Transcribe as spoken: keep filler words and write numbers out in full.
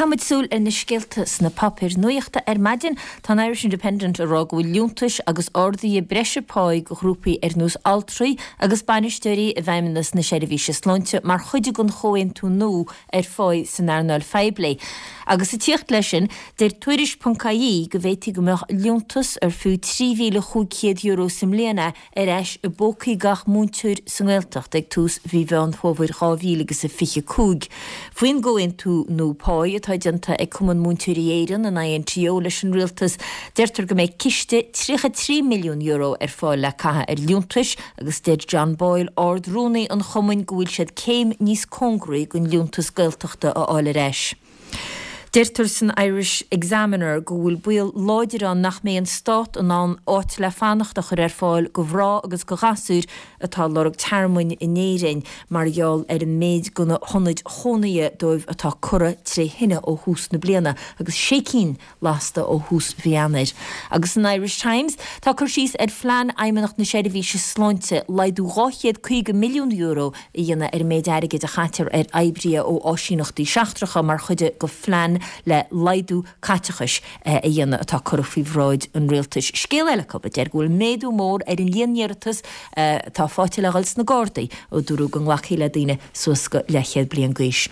Caithfimid súil ar na scéalta sna páipéir nuachta ar maidin. Tá an Irish Independent ag rá go bhfuil liúntais agus arduithe breise páí do ghrúpaí ar nós altraí agus bainisteoirí i bhFeidhmeannas na Seirbhíse Sláinte mar chuid den chomhaontú nua ar pháí san earnáil phoiblí. Agus ag tíocht leis sin, deir Tuairisc ponc ie go bhféadfaí go mbeadh liúntas ar fiú trí mhíle chúig chéad euro sa mbliain é ar ais i bpócaí gach múinteoir sa nGaeltacht ag tús mhí Mheán Fómhair dhá mhíle agus a fiche cúig. Faoin gcomhaontú nua páí atá déanta ag Cumann Múinteoirí Éireann, an I N T O, leis an rialtas, deirtear go mbeidh ciste tríocha trí milliún euro ar fáil le caitheamh ar liúntais agus deir John Boyle, Ard-Rúnaí an chumainn, go bhfuil siad céim níos cóngaraí don liúntas Gaeltachta a fháil ar ais. Deirtear san Irish Examiner go bhfuil baol láidir ann nach mbeidh an stát in ann áit le fanacht a chur ar fáil do mhná agus do ghasúir atá ag lorg tearmainn in Éirinn mar gheall ar an méid de na hionaid chónaithe dóibh atá curtha tré thine ó thús na bliana agus sé cinn lasta ó thús mhí Eanáir. Agus san Irish Times tá cur síos ar phlean Fheidhmeannacht na Seirbhíse Sláinte laghdú dhá chéad caoga milliún euro a dhéanamh ar an méid airgid a chaitear ar oibrithe ó áisíneachtaí seachtracha mar chuid de phlean le laghdú caiteachais a dhéanamh atá curtha faoi bhráid an rialtais. Scéal eile acu a deir go bhfuil méadú mór ar an líon iarratas atá faighte le dhul sna Gardaí ó dúradh go nglacfaí le daoine suas go leathchéad bliain d'aois.